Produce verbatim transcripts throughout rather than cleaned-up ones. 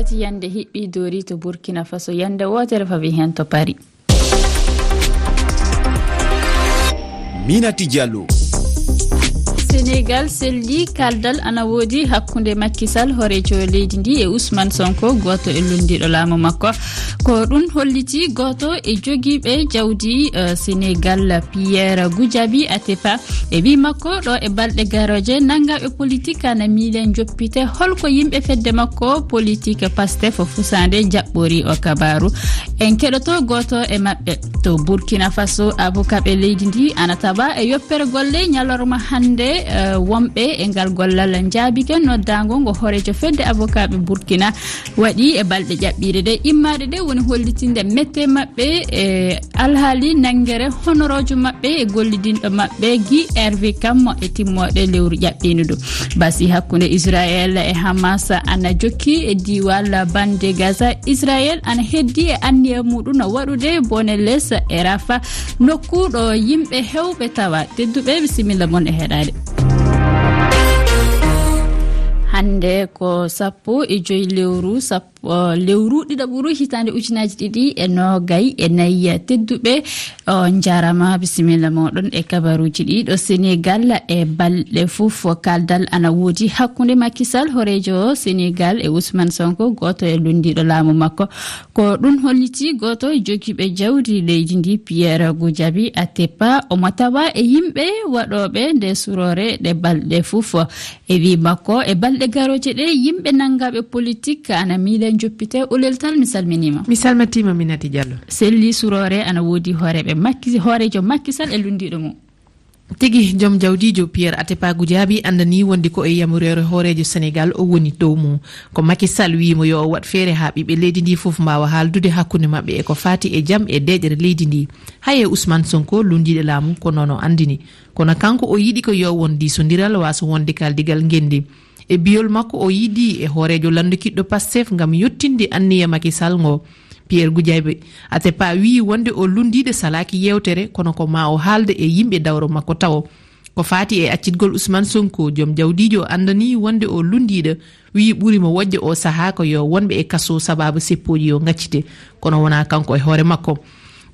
Tati yande hiɓɓi doori to Burkina Faso, yande wootere fawi heen to Paris. Minati Diallo. Senegal selli kaldal ana woodi hakkunde Macky Sall, horeejo leydi ndi, e Ousmane Sonko, gooto e lunndiiɗo laamu makko. Ko ɗum holliti gooto e jogiiɓe jawdi, eh, Senegal, Pierre Goudiaby Atepa. E wi makko, ɗo e balɗe garooje, nanngaaɓe politik ana miile njoppite. Holko yimɓe fedde makko politik Pastef Fusaande jaɓɓori o kabaaru? En keɗoto gooto e maɓɓe. To Burkina Faso, avocatɓe leydi ndi ana tawa e yoppere golle ñalorma hannde, eh, wonɓe e ngal gollal njaabike noddaango ngo horeejo fedde avocatɓe Burkina waɗi e balɗe ƴaɓɓiiɗe ɗe. Immaade ɗe woni hollitinde mette maɓɓe e alhaali nanngere honoroojo maɓɓe e gollidinɗo maɓɓe Guy Hervé Cammo e timmooɗe lewru ƴaɓɓiindu ndu. Basi hakkunde Israel e Hamas ana jokki e diiwal bande Gaza. Israel ana heddi e anniya muɗum waɗude bone les e Rafa, nokku ɗo yimɓe hewɓe tawa. Tedduɓe, bisimilla mon e heɗaade. Hannde ko sappo e joy lewru, sappo, lewru ɗiɗaɓuru hitaande ujunaaji ɗiɗi e noogay e nayi. Tedduɓe, o njaarama, bisimilla moɗon e kabaruuji ɗi. Ɗo Senegal e balɗe fof, kaldal ana woodi hakkunde Macky Sall, horeejo Senegal, e Ousmane Sonko, gooto e lunndiiɗo laamu makko. Ko ɗum holliti gooto e jogiiɓe jawdi leydi ndi, Pierre Goudiaby Atepa, omo tawa e yimɓe waɗooɓe nde suroore ɗe balɗe fof. E wi makko, e balɗe garooje ɗe, yimɓe nanngaaɓe politik ana miile njoppite. Oulel Tall, mi salminiima. Mi salmitiima, Minati Diallo. Selli suroore ana woodi hooreeɓe Macky, hooreejo Macky Sall e lunndiiɗo mum. Tigi, joom jawdiijo Pierre Atepa Goudiaby anndani wonde ko e yamureere hooreejo Senegal o woni dow mum. Ko Macky Sall wiyi mo yo o waɗ feere haa ɓiɓɓe leydi ndi fof mbaawa haaldude hakkunde maɓɓe e ko faati e jam e deeƴre leydi ndi. Hay e Ousmane Sonko, lunndiiɗo laamu, ko noon o anndini. Kono kanko o yiɗi ko yo won diisondiral, waaso wonde kaaldigal ngenndi. E biyol makko, o yiidi e hooreejo lanndu kiɗɗo Pastef ngam yottinde anniya Macky Sall ngo. Pierre Goudiaby Atepa wiyi wonde o lunndiiɗo salaaki yeewtere, kono ko ma o haalde e yimɓe dawro makko tawo. Ko faati e accitgol Ousmane Sonko, joom jawdiijo anndani wonde o lunndiiɗo, wiyi ɓuri mo wojde o sahaa ko yo wonɓe e kaso sababu seppooji yo ngaccite, kono wonaa kanko e hoore makko.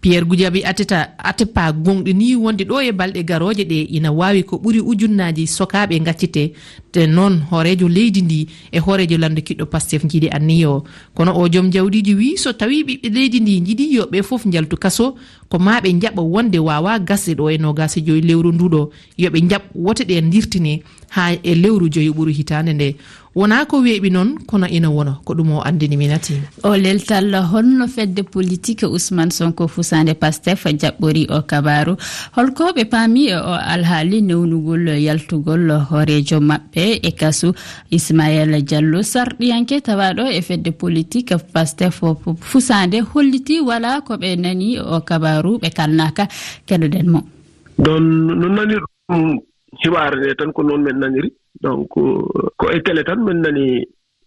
Pierre Goudiaby Ateta-, Atepa gonɗini wonde ɗo e balɗe garooje ɗe ina waawi ko ɓuri ujunnaaji sokaaɓe ngaccite, te noon hooreejo leydi ndi e hooreejo lanndu kiɗɗo Pastef njiɗi anniya o. Kono o joom jawdiijo wiyi so tawii ɓiɓɓe leydi ndi njiɗi yo ɓe fof njaltu kaso, ko ma ɓe njaɓa wonde waawaa gasde ɗo e noogaas e joy lewru ndu ɗo, yo ɓe njaɓ wote ɗe ndirtine haa e lewru joyo ɓuru hitaande nde. Wonaa ko weeɓi noon, kono ina wona ko ɗum o anndini Minati. O leltal, holno fedde politik Ousmane Sonko fusaande Pastef jaɓɓori o kabaaru? Holko ɓe paami e o alhaali newnugol yaltugol hooreejo maɓɓe e kasu? Ismaël Diallo, sarɗiyanke tawaaɗo e fedde politik Pastef fusaande, holliti wala ko ɓe nani o kabaaru, ɓe kalnaaka. Keɗoɗen mo. Ɗon no nani ɗum hibaare nde tan ko noon men naniri. Donc, ko e télé tan men nani,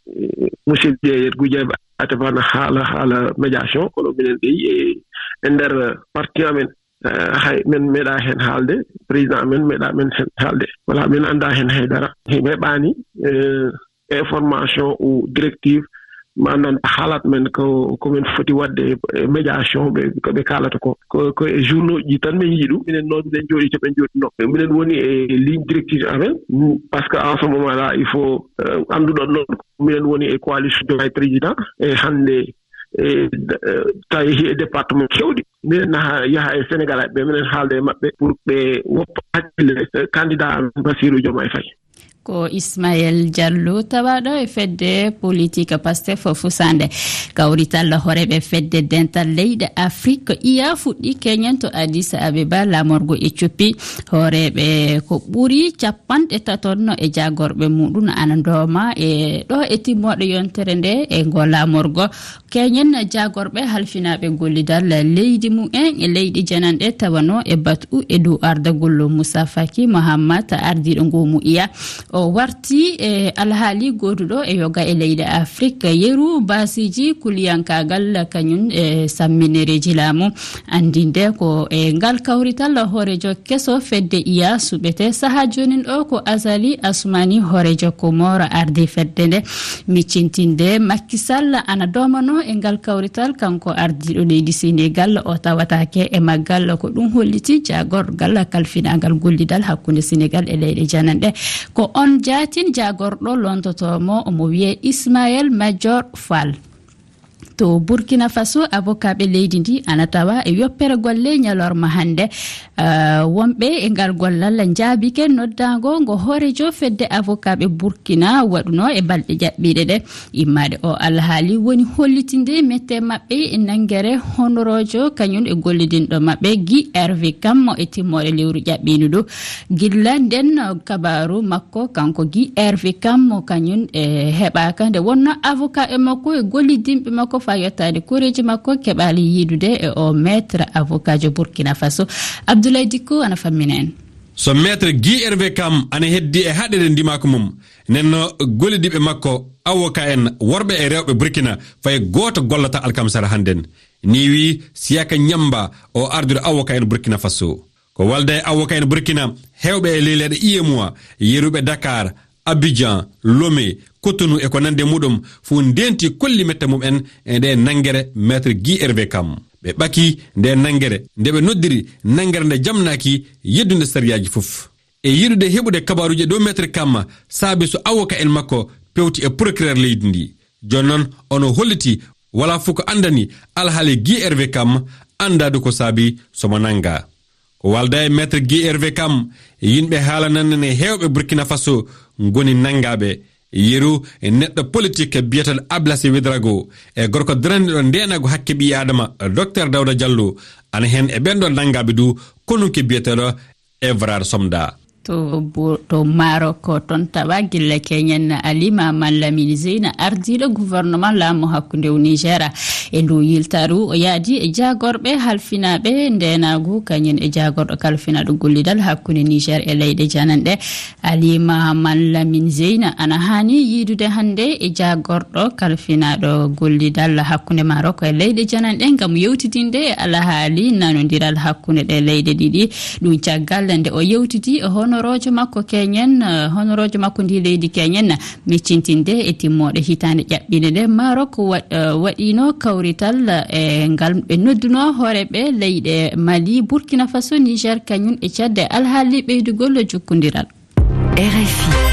eh, monsieur Vieux Goudiaby Atepa na haala, haala médiation, kono minen dey e, e nder parti amen, eh, hay men meeɗa heen haalde, président amen meeɗa men heen haalde. Wala, men annda heen hay dara. Heɓaani, eh, information ou directive, maanaam haalat men ko, ko men foti waɗde e médiation, ɓe, ko ɓe kaalata ko, ko, ko e journaux ji tan men yii ɗum. Minen noon, minen jooɗi to ɓe jooɗi no. Minen woni e ligne directive amen, parce que en ce moment là, il faut, euh, annduɗon noon, minen woni e coalition Diomaye Président, e hannde, e, e, tawi e département kewɗi. Minen naha, yaha e Sénégal ɓe, minen haalda e maɓɓe pour ɓe woppa hakkille, e, candidat amen Bassirou Diomaye Faye. Ko Ismaël Diallo, tawaaɗo e fedde politik Pastef fusaande. Kawrital hooreeɓe fedde dental leyɗe Afrik, iya, fuɗɗi keñen to Addis Abeba, laamorgo Éthiopie. Hooreeɓe ko ɓuri capanɗe tato no e jaagorɓe muɗum ana ndooma e ɗo e timmooɗe yontere nde e ngo laamorgo. Keñen jaagorɓe halfinaaɓe gollidal leydi mumen e leyɗe jananɗe tawanoo e batu e dow ardagol Moussa Faki Mahamat, ardiiɗo ngoo mu'iya. O warti e alhaali gooduɗo e yoga e leyɗe Afrik, yeru baasiiji kuliyankaagal kañum e samminereeji laamu. Anndinde ko e ngal kawrital hooreejo keso fedde iya suɓete. Sahaa joonin ɗo ko Azali Assoumani, hooreejo Komoro, ardi fedde nde. Miccintinde Macky Sall ana doomano e ngal kawrital, kanko ardiiɗo leydi Senegal, o tawataake e maggal. Ko ɗum holliti jaagorgal kalfinaagal gollidal hakkunde Senegal e leyɗe jananɗe. Ko on jaatin jaagorɗo lontotoo mo, omo wiyee Ismaël Madior Fall. To Burkina Faso, avocatɓe leydi ndi ana tawa e yoppere golle ñalorma hannde. Ah, wonɓe e ngal gollal njaabike noddaango ngo hooreejo fedde avocatɓe Burkina waɗuno e balɗe jaɓɓiiɗe ɗe. Immaade o alhaali woni hollitinde mette maɓɓe e nanngere honoroojo kañum e gollidinɗo maɓɓe Guy Hervé Kam e timmoore lewru ƴaɓɓiindu ndu. Gilla nden kabaaru makko, kanko Guy Hervé Kam, mo kañum e heɓaaka nde wonno avocat e makko e gollidinɓe makko faa yottaade koreeji makko keɓaali yiidude e o maître avocat jo Burkina Faso. Abdoulaye Dicko ana fammina en. So maître Guy Hervé Kam ana heddi e haɗeede ndimaaku mum, nenno gollidiiɓe makko, avocat en worɓe e rewɓe Burkina, fay gooto gollata alkamsara hannden. Nii wii Siyaka Ñamba, o arduɗo avocat en Burkina Faso. Ko walda e avocat en Burkina, heewɓe e leyleeɗe U E M O A, yeruɓe Dakar, Abidjan, Lomé, Cotonou e ko nandi e muɗum, fof ndeenti kolli mette mum en e nde nanngere maître Guy Hervé Kam. Ɓe ɓaki nde nanngere, nde ɓe noddiri nanngere nde jamnaaki yeddunde sariyaaji fof. E yiɗude heɓude kabaaruuji e dow maître Kam, saabi so avocat en makko pewti e procureur leydi ndi. Jooni noon, ono holliti wala fof ko anndani alhaali Guy Hervé Kam, anndaadu ko saabi somo nannga. Ko walda e maître Guy Hervé Kam, yimɓe haalanande ne heewɓe Burkina Faso ngoni nanngaaɓe. Yeru e neɗɗo politique biyeteeɗo Ablassé Ouédraogo e gorko darandiɗo ndeenaagu hakke ɓii Aadama, Docteur Daouda Diallo, ana heen e ɓeen ɗo nanngaaɓe du, konunke biyeteeɗo Evrard Somda. To bo-, to Maroc, toon tawa gilla keñen Alima Malamine Zeyna, ardiiɗo gouvernement laamu hakkunde o Niger. E ndu yiltaru, o yaadi e jaagorɓe halfinaaɓe ndeenaagu, kañum e jaagorɗo kalfinaaɗo gollidal hakkunde Niger e leyɗe jananɗe. Alima Malamine Zeyna ana haani yiidude hannde e jaagorɗo kalfinaaɗo gollidal hakkunde Maroc e leyɗe jananɗe ngam yewtidinde e alhaali nanondiral hakkunde ɗe leyɗe ɗiɗi. Ɗum caggal nde o yewtidi e honoroojo makko keñen, eh, honoroojo makko ndi leydi keñen, miccintinde e timmooɗe hitaande ƴaɓɓiinde nde, Maroc wa-, eh, waɗiino kawrital, eh, e ngal ɓe nodduno hooreeɓe leyɗe Mali, Burkina Faso, Niger, kañum e Tchad e alhaali ɓeydugol jokkondiral. R F I.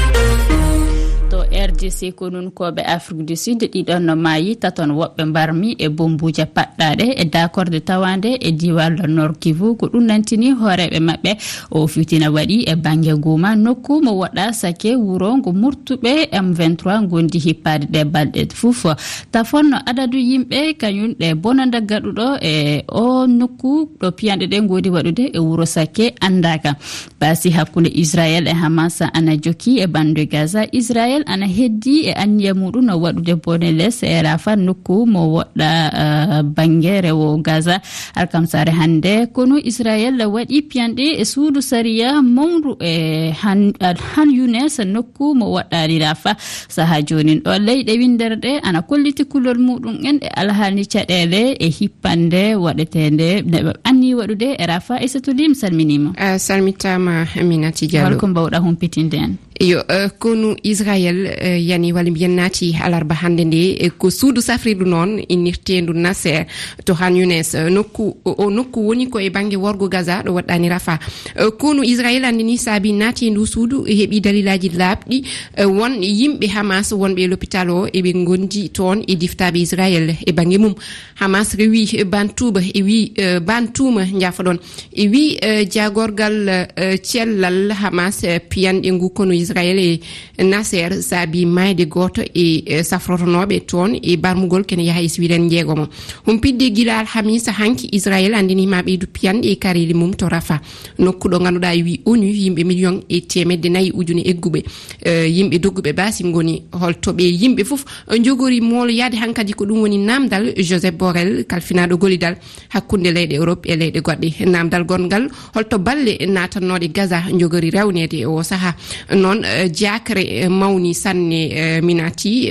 To R D C, konunkooɓe Afrique du Sud ɗiɗon no maayi, taton woɓɓe mbarmi e bombuuje paɗɗaaɗe e daakorde tawaande e diiwal Nord Kivu. Ko ɗum nantini hooreeɓe maɓɓe. O fitina waɗi e bannge Goma, nokku mo woɗɗa sake wuro ngo murtuɓe M vingt-trois ngondi hippaade ɗe balɗe fof. Tafon no adadu yimɓe kañum ɗe bonanda gaɗuɗo e o nokku ɗo piyanɗe ɗe ngoodi waɗude e wuro sake anndaaka. Baasi hakkunde Israel e Hamas ana jokki e bande Gaza. Israel ana heddi e anniya muɗum no waɗude bone les e Rafah, nokku mo woɗɗa, eh, bannge rewo Gaza. Alkamsare hannde, konu Israel waɗi piyanɗe e suudu sariya mawndu e Han, Han Younes, nokku mo woɗɗaani Rafah. Saha joonin ɗo, leyɗe winndere ɗe ana kolliti kulol muɗum en e alhaali caɗeele e hippande waɗeteende nde ɓe anni waɗude e Rafah. Aissatou Ly, mi salminiima. A salmitaama, Aminata Diallo. Holko mbawɗa humpitinde en? Yo, eh, konu Israel, eh, yani walla mbiyen naati alarba hannde nde, eh, ko suudu safrirdu noon innirteendu Nasser to Han Younes, eh, nokku, o, o nokku woni ko e bannge worgo Gaza ɗo woɗɗaani Rafah. Eh, konu Israel anndini saabi naati e ndu suudu heɓi dalilaaji laaɓɗi, eh, won yimɓe Hamas wonɓe e lopital o eɓe ngondi toon e diftaaɓe Israel e bannge mum. Hamas rewi bantuuba e wi, eh, bantuuma, njaafoɗon, e wi, eh, jaagorgal, eh, cellal Hamas, eh, piyanɗe ngu konu Israel e Nasser saabi maayde gooto e, eh, safrotonooɓe toon e barmugol kene yaha e siwiren njeegomo. Humpitde gila alhamisa hanki, Israel anndiniima ɓeydu piyanɗe e kareeli mum to Rafah, nokku ɗo ngannduɗaa e wi onu yimɓe miliyon e teemedde nayi ujune egguɓe, eh, yimɓe dogguɓe baasi ngoni. Holto ɓe yimɓe fof njogori mooloyaade hankadi? Ko ɗum woni naamndal Joseph Borrell, kalfinaaɗo gollidal hakkunde leyɗe Europe e leyɗe goɗɗe. Naamndal gonngal, holto balle naatannooɗe Gaza njogori rewneede e oo sahaa? Noon Jakre mawni sanne, minati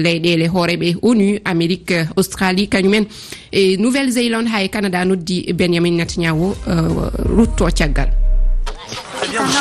leyɗeele hooreeɓe onu, Amerik, Australie, kañumen e Nouvelle Zélande, haa e Canada noddi Benjamin Netanyahu rutto caggal.